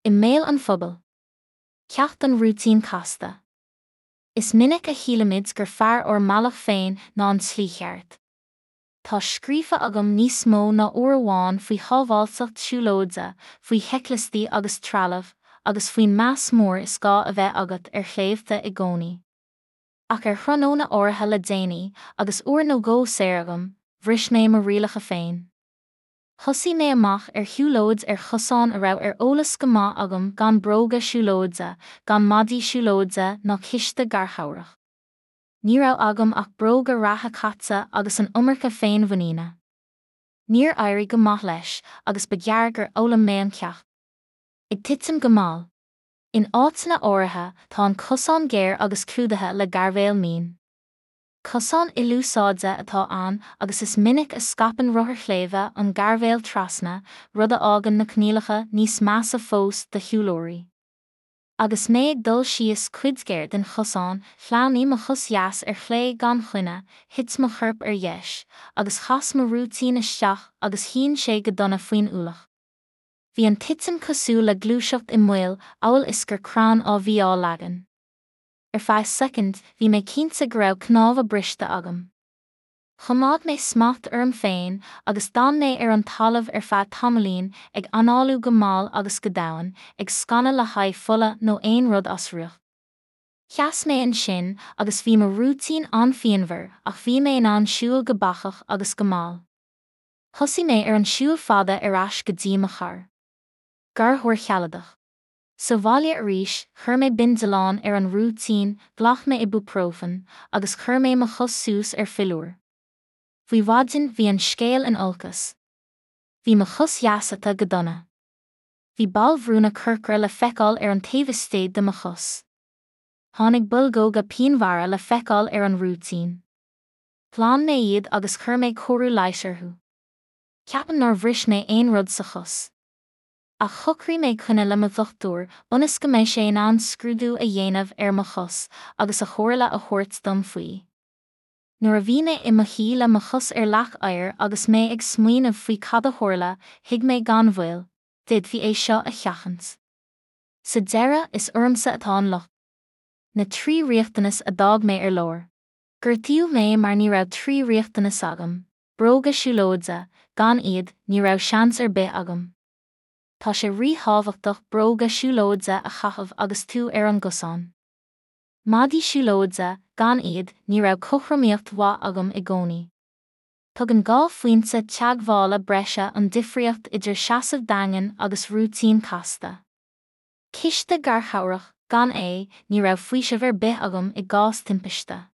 I mbéal an phobail. Ceacht don rúitín casta. Is minic a shílimid gur fearr ár mbealach féin ná an tslí cheart. Tá scríofa agam níos mó ná uair amháin faoi shábháilteacht siúlóide, faoi sheicliostaí agus trealamh, agus faoin meas mór is gá a bheith agat ar shléibhte i gcónaí. Ach ar thráthnóna áirithe le déanaí, agus uair nó dhó saor agam, bhris mé mo rialacha féin. Thosaigh mé amach ar shiúlóid ar chosán a raibh ar eolas go maith agam gan bróga siúlóide, gan maidí siúlóide ná císte garchabhrach. Ní raibh agam ach bróga reatha caite agus an iomarca féinmhuiníne. Níor éirigh go maith leis agus ba ghearr gur fhoghlaim mé an ceacht. Ag titim go mall. In áiteanna áirithe tá an cosán géar agus clúdaithe le gairbhéal mín. Cosán ilúsáide atá ann agus is minic a scaipeann rothair shléibhe an gairbhéal trasna, rud a fhágann na coinníollacha níos measa fós do shiúlóirí. Agus mé ag dul síos cuid ghéar den chosán, shleamhnaigh mo chos dheas ar chlé gan choinne, thit mo chorp ar dheis, agus chas mo rúitín isteach agus shín sé go dona faoin ualach. Bhí an titim cosúil le gluaiseacht i moill, amhail is gur crann á bhí á leagan. Ar feadh soicind, bhí mé cinnte go raibh cnámha briste agam. Choimeád mé smacht orm féin agus d'fhan mé ar an talamh ar feadh tamaillín, ag análú go mall agus go domhain, ag scanadh le haghaidh fola nó aon rud as riocht. Sheas mé ansin agus bhí mo rúitín an-phianmhar ach bhí mé in ann siúl go bacach agus go mall. Thosaigh mé ar an siúl fada ar ais go dtí mo charr. Garchabhair shealadach. Sa bhaile arís, chuir mé bindealán ar an rúitín, ghlac mé ibuprofen, agus chuir mé mo chos suas ar philiúr. Faoi mhaidin bhí an scéal in olcas. Bhí mo chos dheas ata go dona. Bhí ballbhrúnna corcra le feiceáil ar an taobh istigh de mo chos. Tháinig boilgeoga pianmhara le feiceáil ar an rúitín. Ghlan mé iad agus chuir mé cóiriú leighis orthu. Ceapaim nár bhris mé aon rud sa chos. Ach shocraigh mé coinne le mo dhochtúir ionas go mbeidh sé in ann scrúdú a dhéanamh ar mo chos agus a chomhairle a thabhairt dom faoi. Nuair a bhí mé i mo shuí le mo chos ar leac oighir agus mé ag smaoineamh faoi cad a tharla, thuig mé gan mhoill, d'fhéadfaí é seo a sheachaint. Sa deireadh, is ormsa atá an locht. Na 3 riachtanas a d'fhág mé ar lár. Gortaíodh mé mar ní raibh 3 riachtanas agam, bróga siúlóide, gan iad, ní raibh seans ar bith agam. Tá sé ríthábhachtach bróga siúlóide a chaitheamh agus tú ar an gcosán. Maidí siúlóide, gan iad, ní raibh cothromaíocht mhaith agam i gcónaí. Tugann 2 phointe teagmhála breise an difríocht idir seasamh daingean agus rúitín casta. Císte garchabhrach, gan é, ní raibh faoiseamh ar bith agam i gcás timpiste.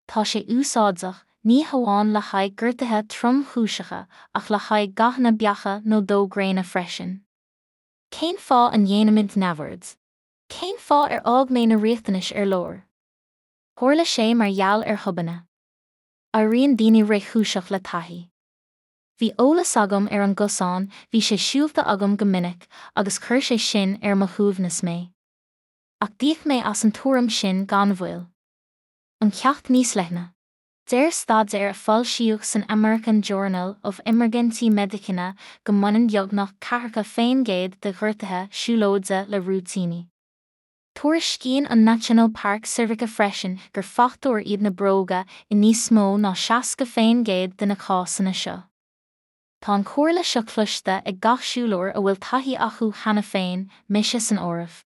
Tá sé úsáideach, ní hamháin le haghaidh gortuithe tromchúiseacha ach le haghaidh gathanna beacha nó dó gréine freisin. Cén fáth a ndéanaimid neamhaird? Cén fáth ar fhág mé na riachtanais ar lár? Tharla sé mar gheall ar thobainne. Éiríonn daoine réchúiseach le taithí. Bhí eolas agam ar an gcosán, bhí sé siúlta agam go minic agus chuir sé sin ar mo shuaimhneas mé. Ach d'íoc mé as an tuairim sin gan mhoill. An ceacht níos leithne. Deir staidéar a foilsíodh san American Journal of Emergency Medicine go mbaineann beagnach 40% de ghortuithe siúlóide le rúitíní. Tuairiscíonn an National Park Service freisin gur fachtóir iad na bróga i níos mó ná 60% de na cásanna seo. Tá an chomhairle seo cloiste ag gach siúlóir a bhfuil taithí acu cheana féin, mise san áireamh.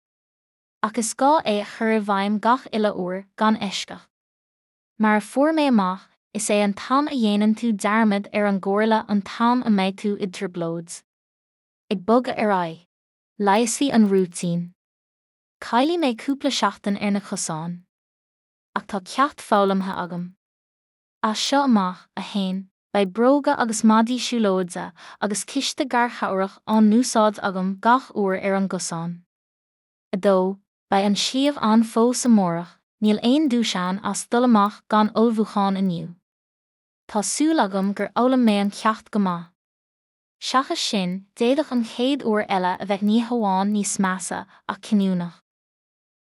Ach is gá é a chur i bhfeidhm gach uile uair, gan eisceacht. Mar a fuair mé amach, is é an t-am a dhéanann tú dearmad ar an gcomhairle an t-am a mbeidh tú i dtrioblóid. Ag bogadh ar aghaidh. Leigheasfaidh an rúitín. Caillfidh mé cúpla seachtain ar na cosáin. Ach tá ceacht foghlamtha agam. As seo amach, 1, Beidh bróga agus maidí siúlóide agus císte garchabhrach á n-úsáid agam gach uair ar an gcosán. 2, Beidh an sliabh ann fós amárach, níl aon duais ann as dul amach gan ullmhúchán inniu. Tá súil agam gur fhoghlaim mé an ceacht go maith. Seachas sin, d'fhéadfadh an chéad uair eile a bheith ní hamháin níos measa, ach cinniúnach.